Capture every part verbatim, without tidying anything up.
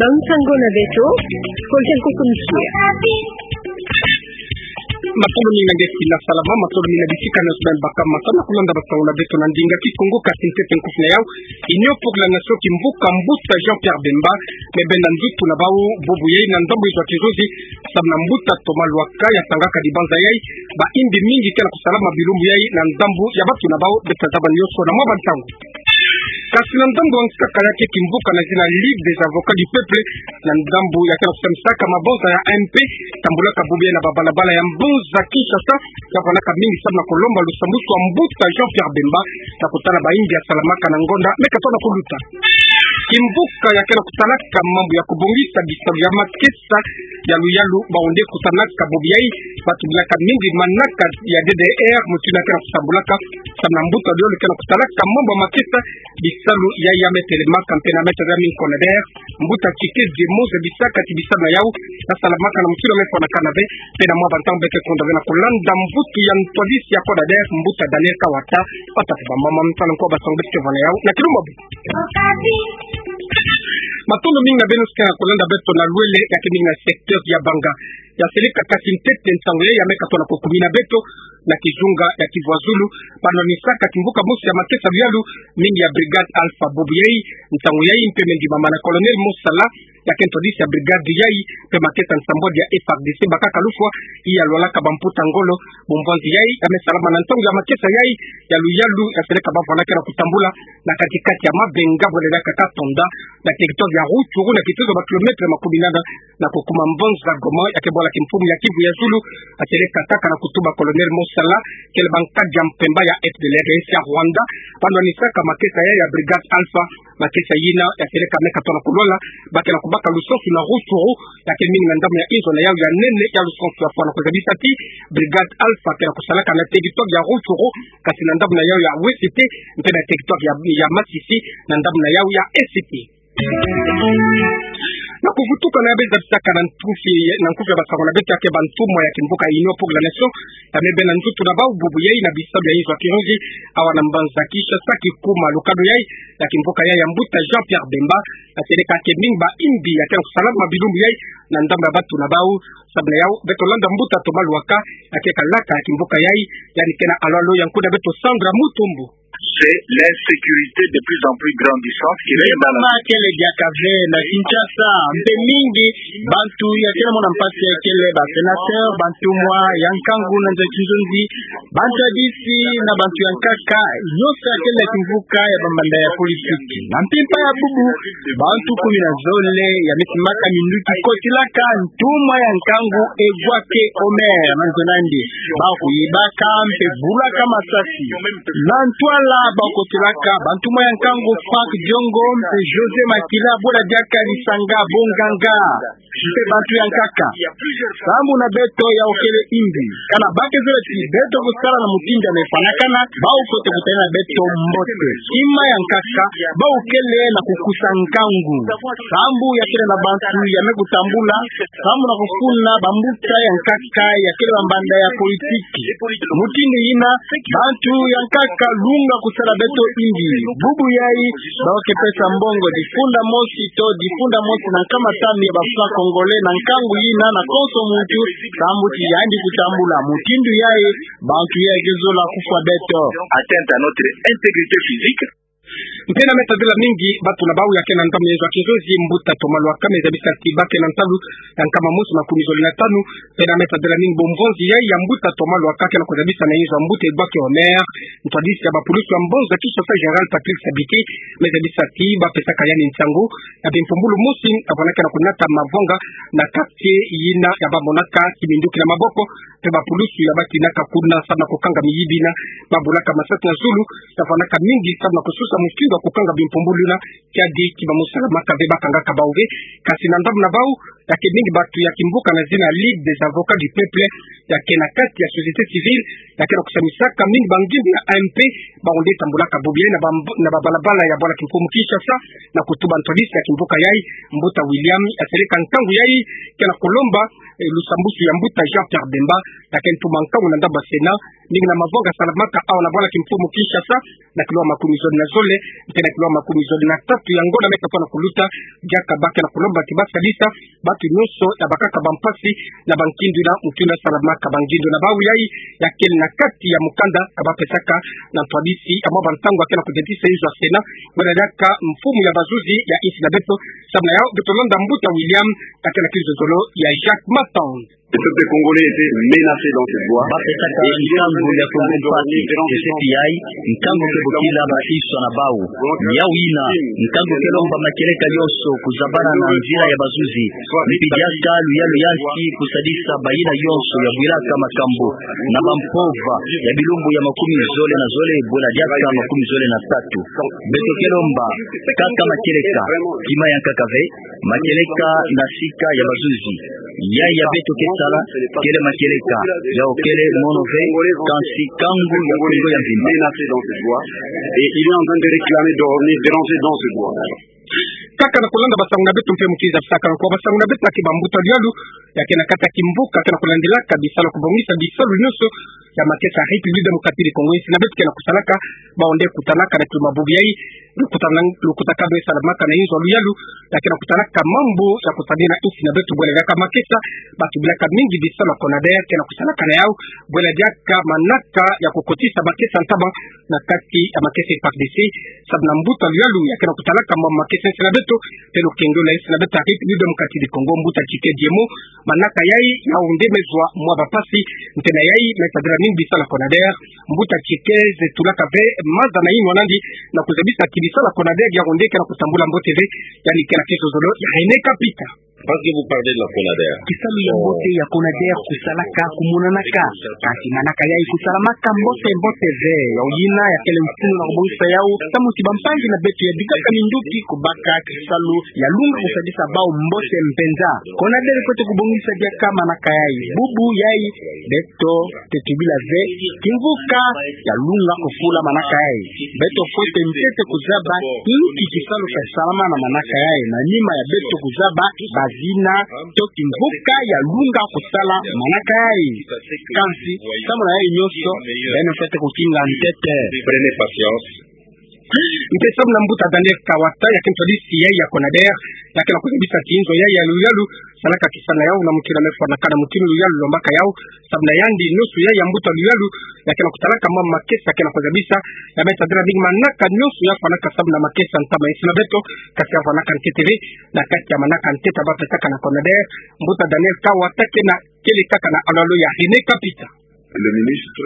Nsangu na beto, ko tia ko kumisia. Matondo mingi na nge si na salama, matondo mingi na bisika nyonso beno baka ma sa na kulanda basangu na beto na ndinga Kikongo. Kasi ntete nkufi na yau, Union pour la Nation, kimvuka mbuta Jean-Pierre Bemba me benda ndutu na bau bubu yai na ndambu ya kizozi, samu na mbuta Thomas Lwaka ya tangaka dibanza yai, ba imbi mingi ke na kusalama bilumbu yai na ndambu ya batu na bau, beto tazaba nyonso na mwa bantangu. Kasi na ndambu ya nkaka ya ke kimvuka na zina Ligue des Avocats du Peuple, na ndambu ya ke na kusamisaka mabonza ya A M P, tambulaka bubu yai na babalabala ya mbanza Kinshasa, ya fwanaka mingi samu na kulomba lusambwasu ya mbuta Jean-Pierre Bemba, na kutala ba imbi ya salamaka na ngonda me katona kuluta. Kimvuka ya ke na kusalaka mambu ya kubongisa bisalu ya makesa ya luyalu, bau nde kutanaka bubu yai batu bilaka mingi manaka ya D D R, mutindu ya ke na kusambulaka, samu na mbuta luyalu ke na kusalaka mambu ya makesa, bisalu yai ya me telemaka mpe na me tazaba mingi kona D D R, mbuta Tshikedi Moze bisaka ti bisalu na yau ya salamaka na mutindu ya me fwanakana ve, mpe na mwa bantangu beke kondwa ve na kulanda mvutu ya ntwadisi ya kona D D R, mbuta Daniel Kawata, pata pe ba mama mtala nkwa basangu beke vwa na yau, na kilumbu. Matondo mingi na beno si ke na kulanda beto na lwele ya ke mingi na secteur ya Banga. Ya seleka kati ntete nsangu yai ya me katona kukumina beto na kizunga ya Kivu ya Zulu, banda nisaka kimvuka mosi ya makesa luyalu mingi ya Brigade Alpha bubu yai, nsangu yai mpe me ndimama na Colonel Mosala, ya ke ntwadisi ya brigade yai, mpe makesa nsambwadi ya F A R D C bakaka lufwa, iya lwalaka bamputa ngolo, bu mvanzi yai ya me salama na ntangu ya makesa yai ya luyalu ya seleka bavwala ke na kutambula na kati-kati ya mabenga bwele na kaka tonda, na territoire ya Rutshuru, na kitozo ba kilomètre makumi nana na kukuma mbanza Goma, ya ke bwala kimfumu ya Kivu ya Zulu, ya seleka kaka na kutuba Colonel Mosala, kele bankadi ya mpemba ya F D L R, esi ya Rwanda, banda nisaka makesa yai ya Brigade Alpha, makesa yina ya seleka me katona kulwala, ba ke na kubaka lusansu na Rutshuru, ya ke mingi na ndambu ya inzo na yau ya nene ya lusansu ya fwana. Kuzabisa ti Brigade Alpha ke na kusalaka na territoire ya Rutshuru, kasi na ndambu na yau ya wesete, mpe na territoire ya, ya Masisi, na ndambu na yau ya esete. Na kuvutuka na ya beno zabisaka na nkufi, na nkufi ya basangu na beto ya ke bantumwa ya kimvuka Union pour la Nation, ya me benda ndutu na bau bubu yai na bisalu ya inzo ya kironzi, awa na mbanza Kinshasa, kikuma lukado yai ya kimvuka yai ya mbuta Jean-Pierre Bemba, ya seleka ke mingi ba imbi ya ke na kusalama bilumbu yai na ndambu ya batu na bau. Samu na yau, beto landa mbuta Thomas Lwaka, ya ke kalaka ya kimvuka yai, yandi ke na alo-alo ya nkuna beto Sandra Mutombo. C'est l'insécurité de plus en plus grandissante qui règne dans la... Kele diaka ve na Kinshasa, mpe mingi bantu ya ke na mona mpasi ya kele ba sénateur, bantumwa ya nkangu na nza kizonzi, bantwadisi na bantu ya nkaka, nyonso ya kele na kimvuka ya bamanda ya politiki. Na mpimpa ya bubu, bantu kumi na zole ya me simaka minduki kotilaka ntumwa ya nkangu Egwake Omer na nzo na yandi. Ba kuyibaka mpe bulaka masasi. Na ntwala ba kotilaka bantumwa ya nkangu Franck Diongo mpe José Makila, bwela diaka lisanga bo nganga mpe bantu ya nkaka. Sambu na beto ya okele imbi. Kana ba ke zola ti beto kusala na mutindu ya me fwanakana, ba okote kutana na beto mbote. Kima ya nkaka, ba okele na kukusa nkangu. Sambu ya kele na bantu ya me kutambula, sambu na kufuna bambuta ya nkaka ya kele bamanda ya politiki. Mutindu yina, bantu ya nkaka lunga kusala beto imbi. Bubu yai, ba oke pesa mbongo difunda mosi to difunda mosi na nkama tanu ya ba francs congolais na nkangu yina na konso muntu, sambu ti yandi kutambula. Mutindu yai, bantu ya ke zola kufwa beto. Atteinte à notre intégrité physique. Mpe na me tadila mingi batu na bau ya ke na ndambu ya inzo ya kironzi, mbuta Thomas Lwaka me zabisa ti ba ke na ntalu ya nkama mosi makumi zole na tanu. Mpe na me tadila mingi bu mvanzi yai ya mbuta Thomas Lwaka ke na kuzabisa na inzo ya mbuta Egwake Omer, ntwadisi ya bapulusu ya mbanza Kinshasa, général Patrick Sabiti, me zabisa ti ba pesaka yandi nsangu ya bimpumbulu mosi, ya fwana ke na kunata mavanga na quartier yina ya ba monaka kiminduki na maboko, mpe bapulusu ya ba tinaka kuna samu na kukanga miyibi yina, ba bulaka masasi na zulu, ya fwanaka mingi samu na kususa mutindu ya kukanga bimpumbulu yina, kiadi ki ba musalamaka ve, ba kangaka bau ve. Kasi na ndambu na bau, ya ke mingi batu ya kimvuka na zina Ligue des Avocats du Peuple, ya ke na kati ya société civile, ya ke na kusamisaka mingi bangindu ya A M P, bau nde tambulaka bubu yai na ba, na babalabala ya bwala kimfumu Kinshasa, na kutuba ntwadisi ya kimvuka yai, mbuta William, ya seleka nkangu yai, ke na kulomba lusambusu ya mbuta Jean-Pierre Bemba, ya kele mfumu ya nkangu na ndambu ya Sénat, mingi na mavanga salamaka awa na bwala kimfumu Kinshasa, na kilo makumi zole na zole, mpe na kilo makumi zole na tatu ya ngonda me tafwana kuluta, diaka ba ke na kulomba ti ba sadisa bantu nyonso ya bakaka bampasi na bankindu na mutindu ya salamaka bangindu na bau. Yayi ya kele na kati ya mukanda ya ba pesaka na ntwadisi ya mwa bantangu ya ke na kudiatisa inzo ya Sénat, bwela diaka mfumu ya bazuzi ya insi na beto. Samu na yau, beto landa mbuta William, ya ke na kinzonzolo ya Jacques Maton. Le peuple congolais était menacé dans cette voie. Ba pesaka nkangu ya Kongo mpasi, ke seti yayi, nkangu ke bokila ba inso na bau. Yau yina, nkangu ke lomba matieleka yonso kuzabana na nzila ya bazuzi. Mpi diaka luyalu ya nsi kusadisa bayina yonso ya bwilaka makambu na bampova ya bilumbu ya makumi zole na zole, bwela diaka makumi zole na tatu. Beto ke lomba kaka matieleka, kima ya nkaka ve, matieleka na sika ya bazuzi. Yayi ya beto ke sala, kele matieleka, yau kele mono ve, kansi nkangu ya Kongo ya mvimba. Menacé dans cette voie. Et il est en train de réclamer, de revenir déranger dans cette voie. Kaka na kulanda basangu na beto mpe mukiza sakala kwa basangu na beto ya ke bambuta luyalu ya ke na kati ya kimvuka ke na kulandilaka bisalu ya kubongisa bisalu nyonso ya makesa ya République Démocratique du Congo, insi na beto ke na kusalaka, bau nde kutalaka na kilo mabubu yayi, lukuta na, lukutakanu salamaka na inzo ya luyalu ya ke na kutalaka mambu ya kusadina insi na beto bwela diaka makesa, batubilaka mingi bisalu ya CONADER ke na kusalaka na yau, bwela diaka manaka ya kukotisa makesa ntama na kati ya makesa F A R D C, samu na mbuta luyalu ya ke na kutalaka mwa makesa insi na beto, mpe lukengelo la insi na beto ya République Démocratique du Congo, mbuta Tchike Diemo, manaka yayi yau nde me zwa mwa bampasi, nte na yayi me sadila mingi bisalu ya CONADER, mbuta Tchike, ze tulaka ve maza na yinwa nandi, na kuzabisa ti bisalu ya CONADER yau nde ke na kutambula mbote ve, yandi ke na kinzonzolo ya René Kapita. Parce que vous parlez de la CONADER. Kisalu ya mbote ya CONADER kusalaka kumonanaka. Kasi manaka yayi kusalamaka mbote mbote ve. Yau yina ya kele mfunu na kubongisa yau, samu ti bampangi na beto ya bikaka minduki kubaka kisalu ya lunga kusadisa bau mbote mpenza. CONADER fwete kubongisa diaka manaka yayi. Bubu yayi, beto tubila ve, kimvuka ya lunga kufula manaka yayi. Beto fwete ntete kuzaba inki kisalu ke salama na manaka yayi, na nima ya beto kuzaba bazina to kimvuka ya lunga kusala manaka yayi. Kansi, samu na yayi nyonso, beno fwete kukinga ntete. Prenez patience. Mpe samu na mbuta Daniel Kawata, ya ke ntwadisi yayi ya CONADER, ya ke na kuzabisa ti inzo yayi ya luyalu salaka kisalu na yau na mutindu me fwanakana, mutindu luyalu lombaka yau, samu na yandi nyonso yayi ya mbuta luyalu ya ke na kutalaka mwa makesa ke na kuzabisa, ya me sadila mingi manaka nyonso ya fwanaka samu na makesa ntama insi na beto, kasi ya fwanaka ntete ve, na kati ya manaka ntete ba pesaka na CONADER, mbuta Daniel Kawata ke na kele kaka na alalo ya René Kapita. Le ministre,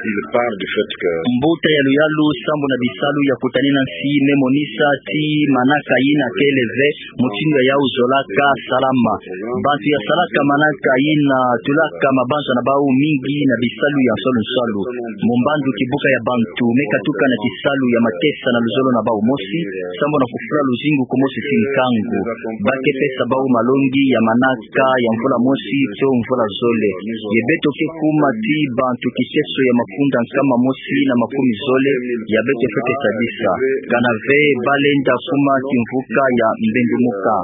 il parle du fait que... Mbuta ya luyalu sambu na bisalu ya kutanina nsi me monisa ti manaka yina kele ve, mutindu ya yau zolaka salama. Bantu ya salaka manaka yina tulaka mabanza na bau mingi na bisalu ya nsalu nsalu. Mu mbandu kibuka ya bantu me katuka na kisalu ya makesa na luzolo na bau mosi, sambu na kufula luzingu kumosi ti nkangu. Ba ke pesa bau malongi ya manaka ya mvula mosi to mvula zole. Ye beto ke kuma ti bantu kiteso ya mafunda nkama mosi na makumi zole, ya beto fwete sadisa. Kana ve ba lenda kuma kimvuka ya mbendumuka.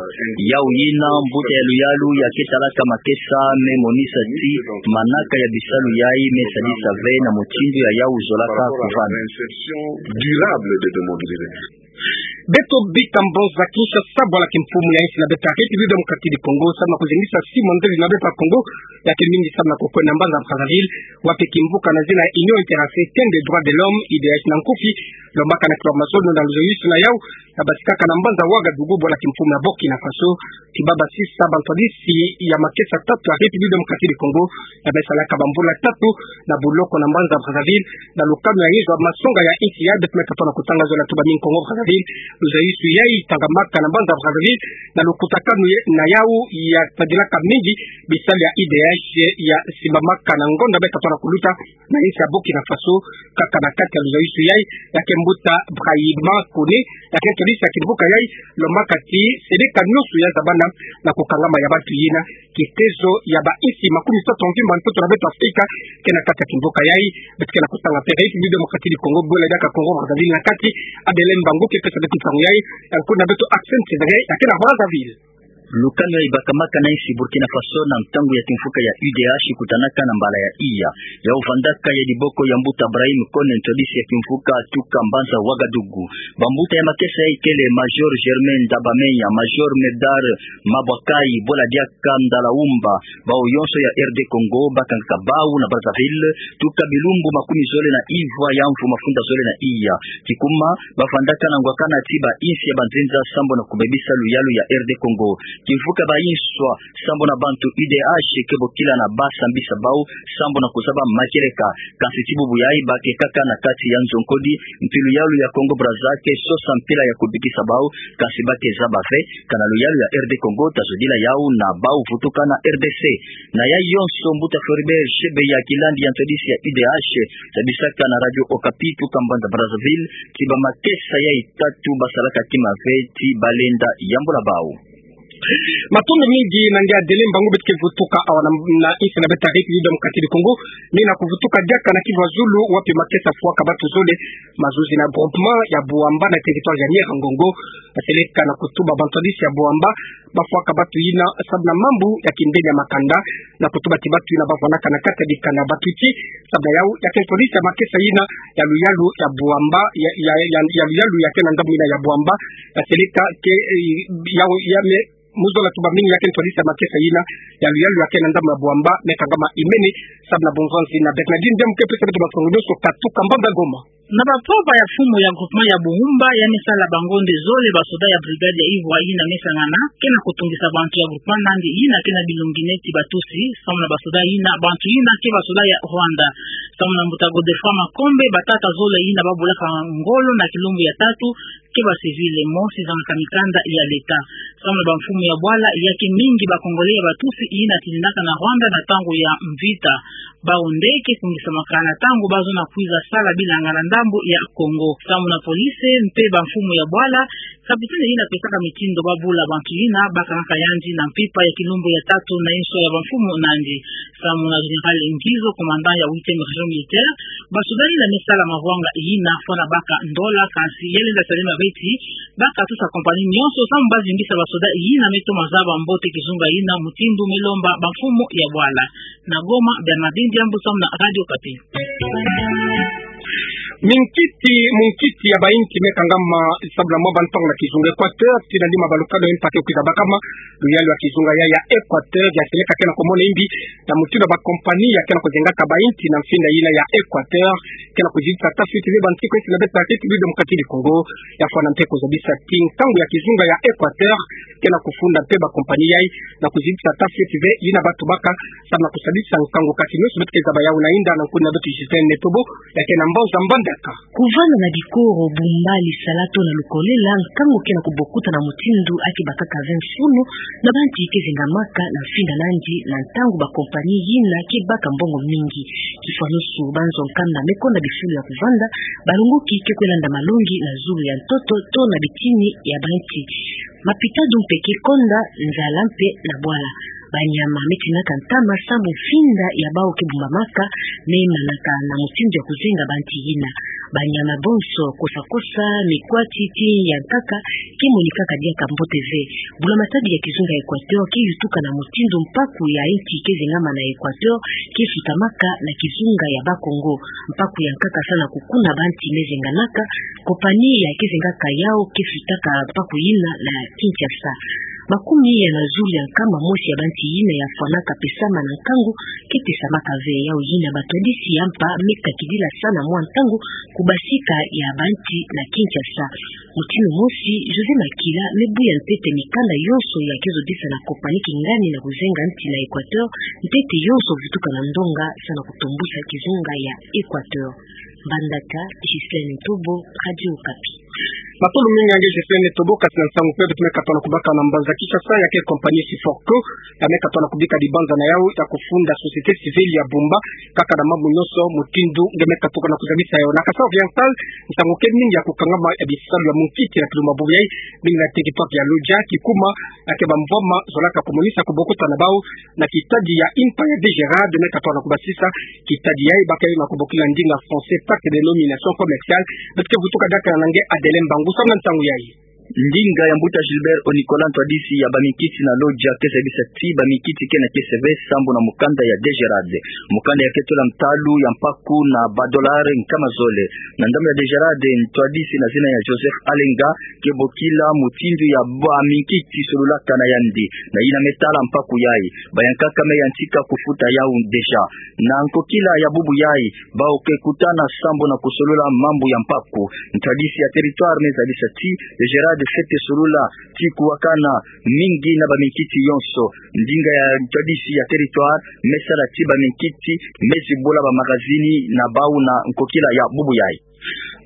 Yau yina mbuta ya luyalu ya ke talaka makesa me monisa ti manaka ya bisalu yayi me sadisa ve na mutindu ya yau zolaka kuvana. Durable de démontrer. Beto bika mbonza Kinshasa, bwala kimfumu ya insi na beto ya République Démocratique du Congo, samu na kuzengisa Simon Nzeri na beto ya Congo, ya ke mingi samu na kukwenda mbanza Brazzaville, wapi kimvuka na zina Union Internationale des Droits de l'Homme, I D H na nkufi, lombaka na kilo mazono na luzayusu na yau, ya basikaka na mbanza Ouagadougou, bwala kimfumu ya Burkina Faso, ti ba basisa bantwadisi ya makesa tatu ya République Démocratique du Congo, ya me salaka bambula tatu na buloko na mbanza Brazzaville, na lukanu ya yezwa masonga ya insi ya beto me tata na kutanga zola tuba mingi Congo Brazzaville, luzayusu yayi tangamaka na mbanza Brazzaville, na lukutakanu ye-, na yau ya tadilaka mingi bisalu ya I D H ya simbamaka na ngonda me tata na kuluta, na insi ya Burkina Faso, kaka na kati ya luzayusu yayi, ya ke mbuta Brahima Koné, ya ke ntwadisi ya kimvuka yayi, lombaka ti, seleka nyonso ya zabana na kukangama ya bantu yina, kitezo ya ba insi makumi tatu ya mvimba ntoto na beto Afrika, ke na kati ya kimvuka yayi, beto ke na kutanga mpe République Démocratique du Congo, bwela diaka Congo Brazzaville na kati, Adele Mbangu ke pesa beto nsangu yayi, ya nkuna beto Axel Ntezagay, ya ke na Brazzaville. Lukanu ya ibakamaka na insi Burkina Faso na ntangu ya kimfuka ya U D H kutanaka na mbala ya iya. Yau vandaka ya diboko ya mbuta Brahim Kone, ntwadisi ya kimfuka tuka mbanza Ouagadougou. Bambuta ya makesa ya ikele Major Germain Ndabamenya, Major Medard Mabwakai, Bola Diaka Ndalaumba, bau yonso ya R D Congo, bakangaka bau na Brazzaville, tuka bilumbu makumi zole na ivwa ya mvu mafunda zole na iya. Kikuma, bavandaka na ngwakana ti ba insi ya banzenza sambo na kubebisa luyalu ya R D Congo. Kimfuka ba inswa sambo na bantu U D H ke bokila na ba sambisa bau sambo na kuzaba makieleka. Kansi ti bubu yayi ba ke kaka na kati ya nzo nkodi, mpi luyalu ya Congo Brazza ke sosa mpila ya kubikisa bau, kansi ba ke zaba ve kana luyalu ya R D Congo ta zodila yau na bau vutuka na R D C. Na ya yonso, mbuta Floribert Chebeya Kilandi ya ntwadisi ya U D H, tabisaka na Radio Okapi tuka mbanza Brazzaville ti ba makesa yayi tatu basalaka kima ve ti balenda yambula bau. Matondo mingi na nge Adelemba, ngu beto ke vutuka awa na, na insi na beto ya République Démocratique du Congo, ni na kuvutuka diaka na Kivu ya Zulu, wapi makesa fwaka batu zole, mazuzi na groupement ya Bouamba na territoire ya Nyiragongo, baseleka na kutuba bantwadisi ya Bouamba, bafwaka batu yina sababu na mambu ya kindele ya makanda, na kutuba ti batu yina bavwanaka na kati ya dikanda batuti, sababu na yau ya ke ntwadisi ya makesa yina ya luyalu ya Bouamba, ya, ya, ya, ya luyalu ya ke na ndambu yina ya Bouamba, baseleka ke, eh, yau ya me, muzola tuba mingi ya ke ntwadisi ya makesa yina ya luyalu ya ke na ndambu ya Bouamba, me kangama imene, sababu na bunzonzi na Bernardine Ndiaye mu ke pesa beto masongolo so katuka mbanza Goma. Na bapova ya mfumu ya groupement ya Bouamba ya me sala bangonde zole basoda ya brigade ya ivwa yina me sangana, ke na kutungisa bantu ya groupement nandi yina ke na bilongi neti batusi, samu na basoda yina, bantu yina ke basoda ya Rwanda. Samu na mbuta Godefroid Makombe, batata zole yina babulaka ngolo na kilumbu ya tatu, ke ba civil, mosi zangaka mikanda ya leta. Samu na bamfumu ya bwala, ya ke mingi ba Congolais ya batusi yina tilindaka na Rwanda na ntangu ya mvita. Bau nde ke kungisamaka na ntangu bazo na kwiza sala bilanga na ndambu ya Congo. Samu na police mpe bamfumu ya bwala, capitaine yina pesaka mitindo babula bantu yina bakangaka yandi na mpimpa ya kilumbu ya tatu na inso ya bamfumu nandi. Samu na Général Ngizo, commandant ya huitième région militaire, basoda yina me sala mavwanga yina fwana baka ndola, kansi ya lenda salama ve ti bakatusa compagnie nyonso samu bazimbisa basoda yina me toma zaba mbote kizunga yina mutindu me lomba bamfumu ya bwala. Na Goma, Bernardine Ndiaye, samu na Radio Okapi. Minkiti, munkiti ya ba inti me kangama sababu na mwa bantangu na kizunga Équateur, tina lima balukano impa ke kwiza bakama, luyalu ya kizunga ya, ya Équateur, ya seleka ke na kumona imbi, na mutindu ba compagnie ya ke na kuzengaka ba inti na mfinda yina ya Équateur, ke na kuzibisa tafiti ve bantu ko insi na beto ya République Démocratique du Congo, ya fwana mpe kuzabisa ti nkangu ya kizunga ya Équateur, ke na kufunda mpe ba compagnie yayi, na kuzibisa tafiti ve yina batu baka, samu na kusadisa nkangu kati nyonso beto ke zaba yau na inda na nkuni na beto Justine Netobo, ya ke na mbanza Mbandaka. Kuvanda na bikoro, Bouamba, Lisala to na Lukolela, nkangu ke na kubokuta na mutindu ake bakaka ve mfunu na ba inti ke zengamaka na mfinda nandi na ntangu ba compagnie yina ke baka mbongo mingi. Kifwanusu, banzo nkanda me konda bifulu ya kuvanda, balongoki ke kwe landa malongi na zulu ya ntoto to na bitini ya ba inti. Mapitadu mpe ke konda, nzala mpe na bwala. Banyama me tinaka ntama samu mfinda ya bau ke bumbamaka, me manaka na mutindu ya kuzenga ba inti yina. Banyama bonso, kosa-kosa, mikwati, ti ya nkaka, ke monikaka diaka mbote ve. Bula-matadi ya kizunga Équateur ke yutuka na mutindu mpaku ya inti ke zengama na Équateur ke sutamaka na kizunga ya Bas-Congo. Mpaku ya nkaka sa na kukuna ba inti me zenganaka, compagnie ya ke zengaka yau ke sutaka mpaku yina na Kinshasa. Makumi ya na zulu ya nkama mosi ya ba inti yina ya fwanaka pesama na nkangu ke pesamaka ve. Yau yina batwadisi ya mpa me kakidila sa na mwa ntangu kubasika ya ba inti na Kinshasa. Mutindu mosi, José Makila me buya ntete mikanda yonso ya ke zodisa na compagnie kingani na kuzenga inti na Équateur, ntete yonso vutuka na ndonga sa na kutombusa kizunga ya Équateur. Mbandaka, Justine Netobo, Radio Okapi. Matondo mingi ya nge Justine Netobo, kasi na nsangu mpe beto me katoa na kubaka na mbanza Kinshasa ya ke compagnie Siforco, ya me katoa na kubika dibanza na yau ya kufunda société civile ya Bouamba, kaka na mambu nyonso mutindu nge me katuka na kuzabisa yau. Na Kasai Oriental, nsangu ke mingi ya kukangama ya bisalu ya munkiti na kilumbu bubu yayi, mingi na territoire ya Lodja, kikuma, ya ke bamvwama zolaka kumonisa kubokuta na bau, na kitadi ya impa ya D G R A D me katoa na kubasisa, kitadi yayi ba ke na kubokila ndinga français pacte de non-aliénation commerciale, beto ke vutuka diaka na nge Adelemba, ngu samu na nsangu yayi. Ndinga ya Mbuta Gilbert O Nicolas, ntwadisi ya baminkiti na Lodja, ke zabisa ti baminkiti ke na kiese ve sambu na mukanda ya DGRAD. Mukanda ya ke tola ntalu ya mpaku na ba dollar nkama zole. Na ndambu ya DGRAD, ntwadisi na zina ya Joseph Alenga ke bokila mutindu ya baminkiti solulaka na yandi, na yina me tala mpaku yayi. Bayankaka me yantika kufuta yau déjà. Na nkokila ya bubu yayi, bawu ke kutana sambu na kusolula mambu ya mpaku. Ntwadisi ya territoire me zabisa ti DGRAD fwete solula ti kuwakana mingi na baminkiti yonso. Ndinga ya ntwadisi ya territoire me sala ti baminkiti me zibula ba magazini na bawu na nkokila ya bubu yayi.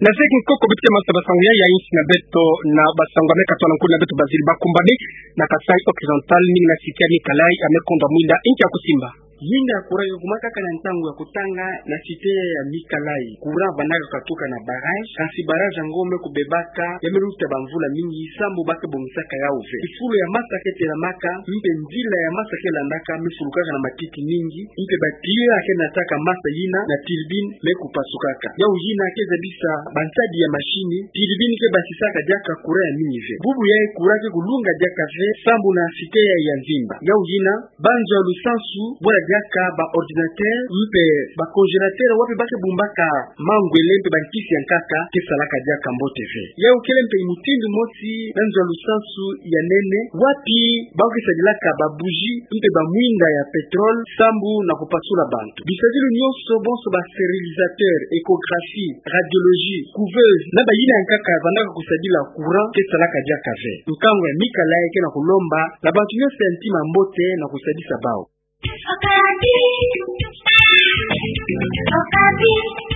Na zeki nkoko beto ke manisa basangu yayi, ya insi na beto na basangu ya me katola nkuni na beto, baziri bakumbane na Kasaï Occidental, mingi na cité ya Nikalai, ya me kondwa mwinda. Inki ya kusimba? Yinga ya courant ke kuma kaka na ntangu ya kutanga na cité ya Nikalai. Courant vandaka katuka na barrage, kasi barrage yango me kubebaka, ya me luta bamvula mingi, sambu ba ke bongisaka yau ve. Kifulu ya masa ke telamaka, mpe nzila ya masa ke landaka, me fulukaka na matiti mingi, mpe ba tuyau ya ke nataka masa yina na turbine me kupasukaka. Yau yina ke zabisa bansadi ya machine, turbine ke basisaka diaka courant ya mingi ve. Bubu yayi courant ke kulunga diaka ve, sambu na cité yayi ya mvimba. Yau yina, banzo ya lusansu, bula diaka ba ordinateur, mpe ba congélateur, wapi ba ke bumbaka mangwele mpe bankisi ya nkaka, ke salaka diaka mbote ve. Yau kele mpe mutindu mosi na nzo ya lusansu ya nene, wapi ba ke sadilaka ba bougie mpe ba mwinda ya pétrole, sambu na kupasula bantu. Bisadilu nyonso, bonso ba stérilisateur, échographie, radiologie, couveuse, na bayina ya nkaka vandaka kusadila courant, ke salaka diaka ve. Nkangu ya Nikalai ke na kulomba na bantu nyonso ya ntima mbote na kusadisa bau. Okapi. Okapi.